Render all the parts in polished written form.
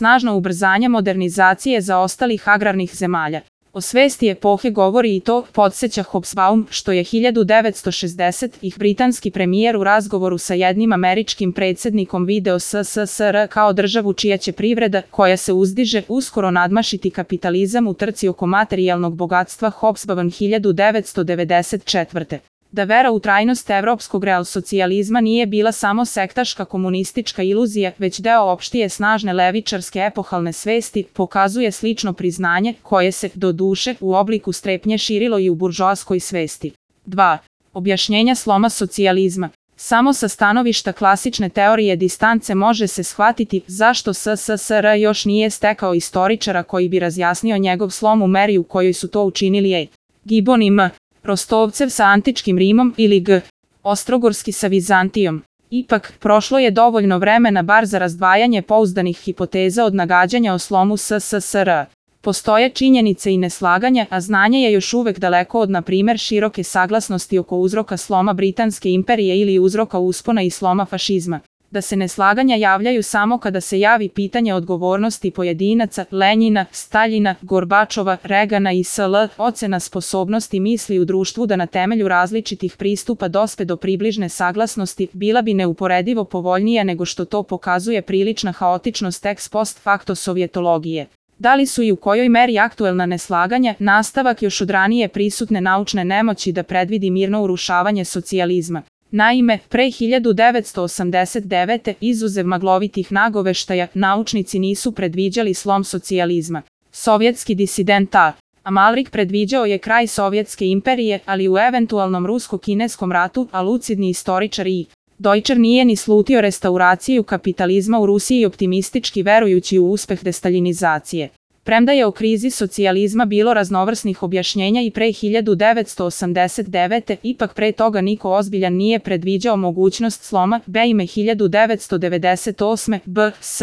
snažno ubrzanje modernizacije zaostalih agrarnih zemalja. O svesti epohe govori i to, podsjeća Hobsbawm, što je 1960-ih britanski premijer u razgovoru sa jednim američkim predsjednikom video SSSR kao državu čija će privreda, koja se uzdiže, uskoro nadmašiti kapitalizam u trci oko materijalnog bogatstva. Hobsbawm 1994. Da vera u trajnost evropskog realsocijalizma nije bila samo sektaška komunistička iluzija, već deo opštije snažne levičarske epohalne svesti, pokazuje slično priznanje, koje se, doduše, u obliku strepnje širilo i u buržoaskoj svesti. 2. Objašnjenja sloma socijalizma. Samo sa stanovišta klasične teorije distance može se shvatiti zašto SSSR još nije stekao istoričara koji bi razjasnio njegov slom u meri u kojoj su to učinili E. Gibbon i M. Rostovcev sa antičkim Rimom ili G. Ostrogorski sa Vizantijom. Ipak, prošlo je dovoljno vremena bar za razdvajanje pouzdanih hipoteza od nagađanja o slomu SSSR. Postoje činjenice i neslaganja, a znanje je još uvek daleko od, na primer, široke saglasnosti oko uzroka sloma Britanske imperije ili uzroka uspona i sloma fašizma. Da se neslaganja javljaju samo kada se javi pitanje odgovornosti pojedinaca, Lenjina, Staljina, Gorbačova, Regana i sl. Ocena sposobnosti misli u društvu da na temelju različitih pristupa dospe do približne saglasnosti bila bi neuporedivo povoljnija nego što to pokazuje prilična haotičnost ex post facto sovjetologije. Da li su i u kojoj meri aktuelna neslaganja nastavak još od ranije prisutne naučne nemoći da predvidi mirno urušavanje socijalizma? Naime, pre 1989. izuzev maglovitih nagoveštaja, naučnici nisu predviđali slom socijalizma. Sovjetski disident A. Amalrik predviđao je kraj Sovjetske imperije, ali u eventualnom rusko-kineskom ratu, a lucidni istoričar I. Deutscher nije ni slutio restauraciju kapitalizma u Rusiji optimistički verujući u uspeh destaljinizacije. Premda je o krizi socijalizma bilo raznovrsnih objašnjenja i pre 1989. ipak pre toga niko ozbiljan nije predviđao mogućnost sloma, B. ime 1998. B.S.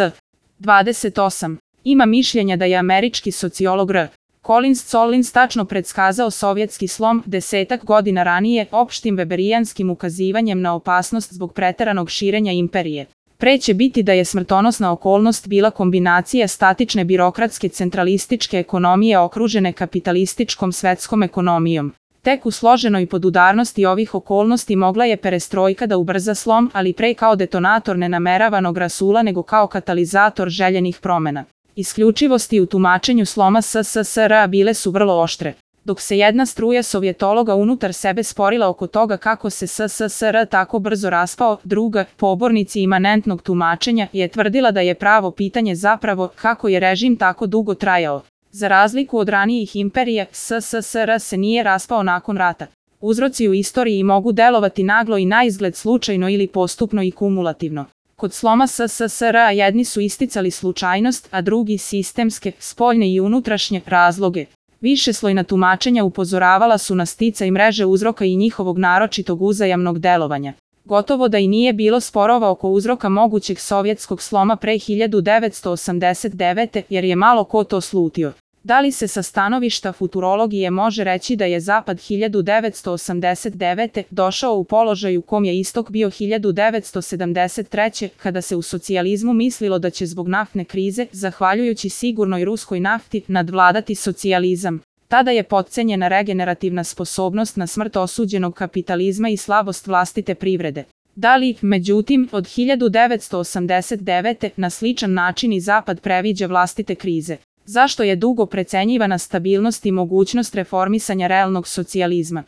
28. Ima mišljenja da je američki sociolog R. Collins tačno predskazao sovjetski slom 10 godina ranije opštim weberijanskim ukazivanjem na opasnost zbog preteranog širenja imperije. Pre će biti da je smrtonosna okolnost bila kombinacija statične birokratske centralističke ekonomije okružene kapitalističkom svetskom ekonomijom. Tek u složenoj podudarnosti ovih okolnosti mogla je perestrojka da ubrza slom, ali pre kao detonator nenameravanog rasula nego kao katalizator željenih promena. Isključivosti u tumačenju sloma SSSR bile su vrlo oštre. Dok se jedna struja sovjetologa unutar sebe sporila oko toga kako se SSSR tako brzo raspao, druga, pobornici imanentnog tumačenja, je tvrdila da je pravo pitanje zapravo kako je režim tako dugo trajao. Za razliku od ranijih imperija, SSSR se nije raspao nakon rata. Uzroci u istoriji mogu delovati naglo i naizgled slučajno ili postupno i kumulativno. Kod sloma SSSR jedni su isticali slučajnost, a drugi sistemske, spoljne i unutrašnje razloge. Višeslojna tumačenja upozoravala su na sticaj mreže uzroka i njihovog naročitog uzajamnog delovanja. Gotovo da i nije bilo sporova oko uzroka mogućeg sovjetskog sloma pre 1989. jer je malo ko to slutio. Da li se sa stanovišta futurologije može reći da je Zapad 1989. došao u položaj u kom je istok bio 1973. kada se u socijalizmu mislilo da će zbog naftne krize, zahvaljujući sigurnoj ruskoj nafti, nadvladati socijalizam. Tada je potcenjena regenerativna sposobnost na smrt osuđenog kapitalizma i slabost vlastite privrede. Da li, međutim, od 1989. na sličan način i Zapad previđa vlastite krize? Zašto je dugo precenjivana stabilnost i mogućnost reformisanja realnog socijalizma?